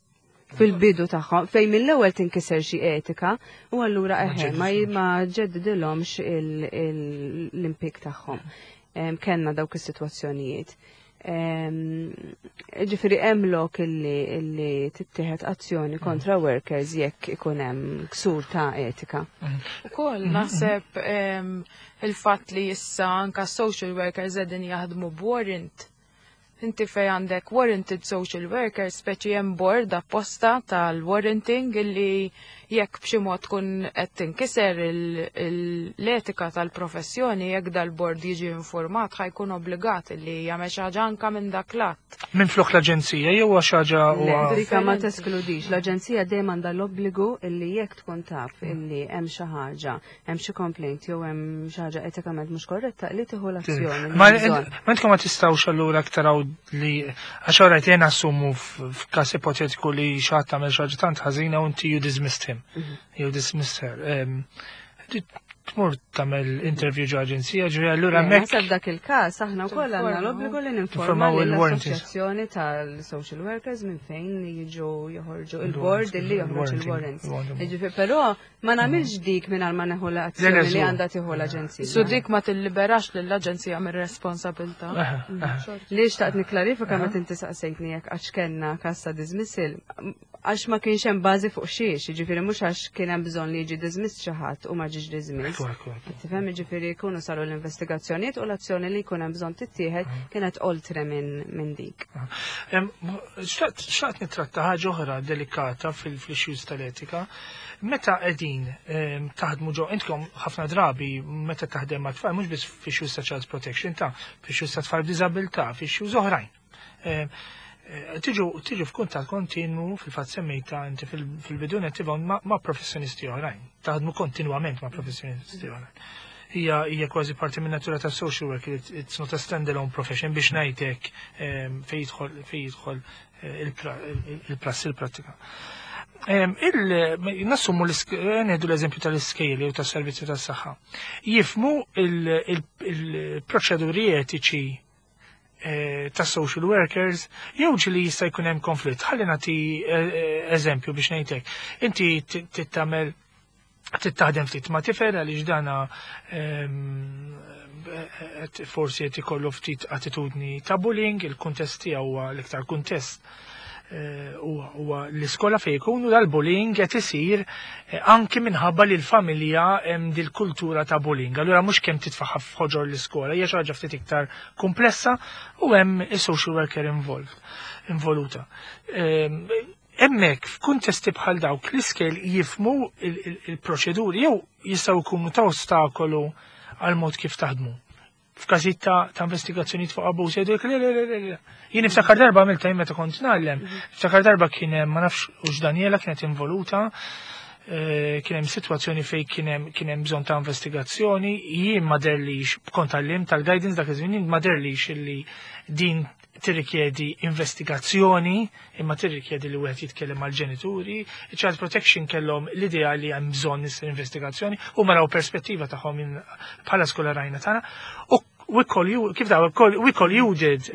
fil-bidu tagħhom fejn mill-ewwel tinkiser xi etika u allura Ma eħe ma ġeddidilhomx. Ma ġeddidilhomx l-impjieg tagħhom. Kellna dawk is-sitwazzjonijiet. Ġifieri hemm lok illi tittieħed azzjoni kontra workers jekk ikun hemm ksur ta' etika. Ukoll naħseb il-fatt li issa anka social workers qegħdin jaħdmu b'warrant. Inti fej għandek warranted social workers, speċi hemm board apposta tal-warranting illi jekk b'xi mod tkun qed tinkiser l-etika tal-professjoni, jekk dal-board jiġi informat, ħa jkun obbligat illi jagħmel xi ħaġa anka minn dak l-att. Minn flok l-aġenzija jew xi ħaġa Le, huwa dika ma Differenti. teskludix. L-aġenzija dejjem għandha l-obbligu illi jekk tkun taf illi hemm xi ħaġa, hemm xi complaint jew hemm xi ħaġa etikament mhux korretta, li tieħu l-azzjoni li Ma hemm bżonn. Ma intkom ma tistgħux allura taraw li għax orajt jena assumu f'każ ipotetiku li xi ħadd tagħmel xi ħaġa tant ħażina u inti you dismissed him. You dismissed her. Tmur tagħmel interview ġo aġenzija, ġo allura Le, hemmhekk naħseb dak il-każ aħna wkoll għandna Tinformaw. l-obbligu li ninformaw Tinformaw il-warranties. l-assoċjazzjoni tal-social workers minn fejn jiġu joħorġu il-board illi joħroġ il-warrants. Jiġifieri, però ma nagħmilx dik mingħajr ma neħu l-azzjoni Le, li żgur. għandha tieħu l-aġenzija. Su dik ma tilliberax lill-aġenzija mir-responsabilità. Aha. Li xtaqt niklarifika meta inti saqsejtni jekk għax kellna każ ta' dismissal, għax ma kienx hemm bażi fuq xiex, jiġifieri mhux għax kien hemm bżonn li jiġi dismiss xi ħadd u ma ġiex dismiss. Ekku, ekku, ekku. Tifhem, jiġifieri jkunu saru l-investigazzjonijiet u l-azzjoni li jkun hemm bżonn tittieħed kienet oltre minn dik. Xtaqt nitratta ħaġa oħra delikata fil-issues tal-etika. Meta qegħdin taħdmu ġo, intkom ħafna drabi meta taħdem ma' tfal, mhux biss f'issues ta' child protection, ta' f'issues ta' tfal b'diżabilità, f'issues oħrajn. Tiġu f'kuntatt kontinwu, fil-fatt semmejta inti fil-bidu nettivon ma' professjonisti oħrajn. Taħdmu kontinwament ma' professjonisti oħrajn. Hija kważi parti minn natura ta' social work, it's not a standalone profession biex ngħidlek fejn jidħol il-prassi, il-prattika. Nassumu ngħidu l-eżempju tal-iskejjel u tas-servizzi tas-saħħa. Jifhmu il-proċeduri etiċi. ta' social workers, jew ġieli jista' jkun hemm konflitt. Ħalli nagħti eżempju biex ngħidlek. Inti tittamel tittaħdem ftit ma' tifel għaliex dana forsi qed ikollu ftit attitudni ta' bullying, il-kuntest tiegħu huwa l-iktar kuntest huwa l-iskola fejn ikunu dal-bullying qed isir anki minħabba li l-familja hemm dil-kultura ta' bullying. Allura mhux kemm titfaħħa f'ħoġor l-iskola, hija xi ħaġa ftit iktar komplessa u hemm is-social worker involved, involuta. Hemmhekk f'kuntesti bħal dawk l-iskejjel jifhmu il-proċeduri jew jistgħu jkunu ta' ostakolu għal mod kif taħdmu. F'każijiet ta' investigazzjonijiet fuq abbuż jgħidu le, le, le, le. Jien niftakar darba għamilta jien meta kont ngħallem, niftakar darba kien hemm, ma nafx hux Daniela kienet involuta, kien hemm sitwazzjoni fejn kien hemm bżonn ta' investigazzjoni, jien ma derlix, kont għallim tal-guidance dak iż-żmien, jien ma derlix illi din tirrikjedi investigazzjoni, imma tirrikjedi li wieħed jitkellem mal-ġenituri. Child Protection kellhom l-idea li hemm bżonn issir investigazzjoni u maraw perspettiva tagħhom bħala skola rajna tagħna. U we call you, kif daw, we call you did.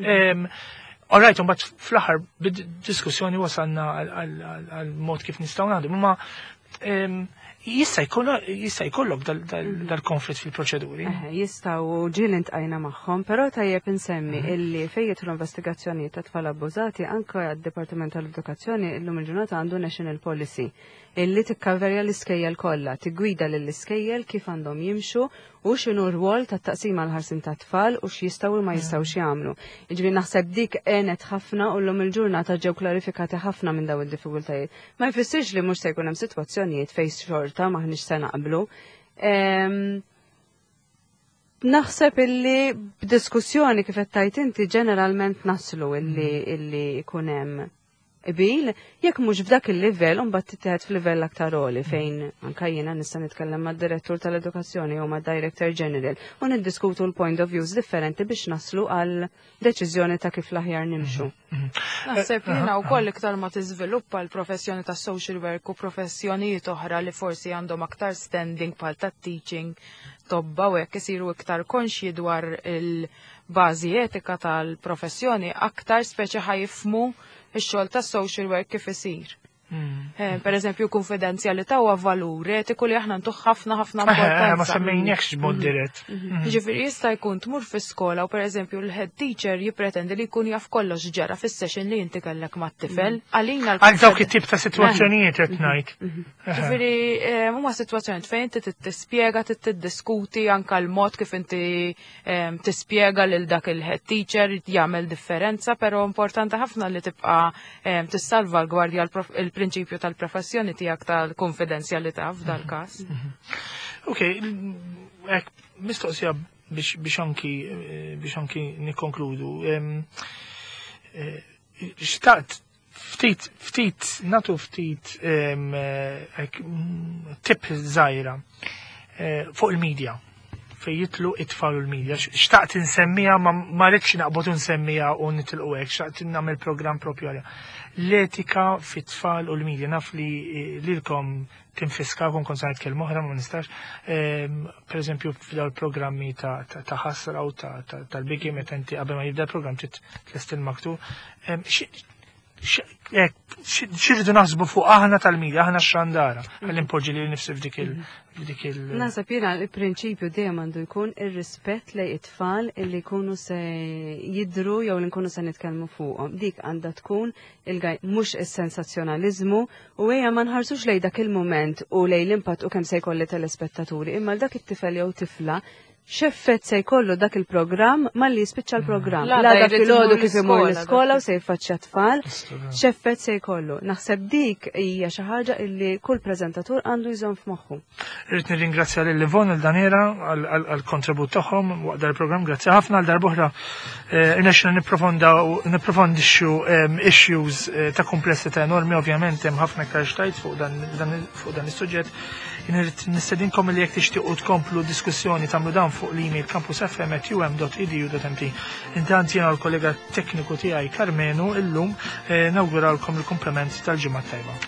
All right, but fl-aħħar bid-diskussjoni wasalna għal mod kif nistgħu naħdmu, ma jista' jkollok dal-konflitt fil-proċeduri. Jistgħu, ġieli ltqajna magħhom, però tajjeb insemmi illi fejn jidħlu investigazzjoni ta' tfal abbużati, anke għad-Dipartiment tal-Edukazzjoni illum il-ġurnata għandu national policy illi tikkaverja l-iskejjel kollha, tiggwida lill-iskejjel kif għandhom jimxu u x'inhu r-rwol tat-taqsima l-ħarsin ta' tfal u x'jistgħu u ma jistgħux jagħmlu. Jiġifieri naħseb dik għenet ħafna u llum il-ġurnata ġew klarifikati ħafna minn dawn id-diffikultajiet. Ma jfissirx li mhux se jkun hemm sitwazzjonijiet fejn xorta maħniex se naqblu. Naħseb illi b'diskussjoni, kif qed tgħid inti, ġeneralment naslu illi jkun hemm qbil, jekk mhux f'dak il-livell, mbagħad tittieħed f'livell aktar għoli fejn anka jiena nista' nitkellem mad-direttur tal-edukazzjoni jew mad-director general u niddiskutu l-point of views differenti biex naslu għal deċiżjoni ta' kif l-aħjar nimxu. Naħseb jiena wkoll iktar ma tiżviluppa l-professjoni ta' social work u professjonijiet oħra li forsi għandhom aktar standing bħal ta' teaching, tobba u hekk, isiru iktar konxji dwar il-bażi etika tal-professjoni, aktar speċi ħa jifhmu ix-xogħol ta' social work kif isir. Per eżempju, konfidenzjalità huwa valur etiku li aħna ntuh ħafna ħafna Ma importanza. semmejniekx b'mod dirett. Ġifieri jista' jkun tmur fi skola u, per eżempju, l-head teacher jippretendi li jkun jaf kollox ġara fis-session li inti kellek mat-tifel. Għalina Għal dawk it-tip ta' sitwazzjonijiet qed ngħid. Ġifieri huma sitwazzjonijiet fejn inti tispjega, tiddiskuti anka l-mod kif inti tispjega lil dak il-head teacher jagħmel differenza, però importanti ħafna li tibqa' tissalva l-gwardja il-prinċipju tal-professjoni tiegħek tal-konfidenzjalità f'dal każ. Ok, hekk mistoqsija biex anki nikkonkludu. Xtaqt ftit ftit nagħtu ftit hekk, tip żgħira fuq il-medja fej jidħlu it-tfal u l-medja. Xtaqt insemmija, ma rridx naqbod nsemmija u nitilqu hekk, xtaqt nagħmel programm propju għaliha. L-etika fit-tfal u l-medja, naf li lilkom tinfiskakom, kont se nitkellem oħra ma nistax. Per eżempju, f'dawn il-programmi ta' ħasra u tal-biki, meta inti qabel ma jibda l-programm trid tlest il-maktub. X'irridu naħsbu fuq aħna tal-medja, aħna x-xandara, ħalli npoġġi li nifsi f'dik il Naħseb jiena il-prinċipju dejjem għandu jkun ir-rispett lejn it-tfal illi jkunu se jidru jew li nkunu se nitkellmu fuqhom. Dik għandha tkun il-gaj, mhux is-sensazzjonaliżmu, u ejja ma nħarsux lejn dak il-mument u lejn l-impatt u kemm se jkolli telespettaturi, imma l dak it-tifel jew tifla x'effett se jkollu dak il-programm malli jispiċċa l-programm. L-għada L-għada jrid filgħodu imur kif imur l-iskola, l-iskola dak u se jiffaċċja tfal, x'effett se jkollu. Naħseb dik hija xi ħaġa illi kull preżentatur għandu jżomm f'moħħu. Irrid nirringrazzja lil Livon il Daniela għal-kontribut tagħhom waqt dal-programm. Grazzi ħafna għal darb'oħra. Irnexxina nipprofondixxu issues ta' komplessità enormi, ovvjament hemm ħafna iktar x'tgħid fuq dan is-suġġett. Jien irrid nistedinkom li jekk tixtiequ tkomplu diskussjoni tagħmlu dan fuq l-email campusfm@um.edu.mt. Intant jiena u l-kollega tekniku tiegħi Karmenu illum nawguralkom il-komplement tal-ġimgħa tajba.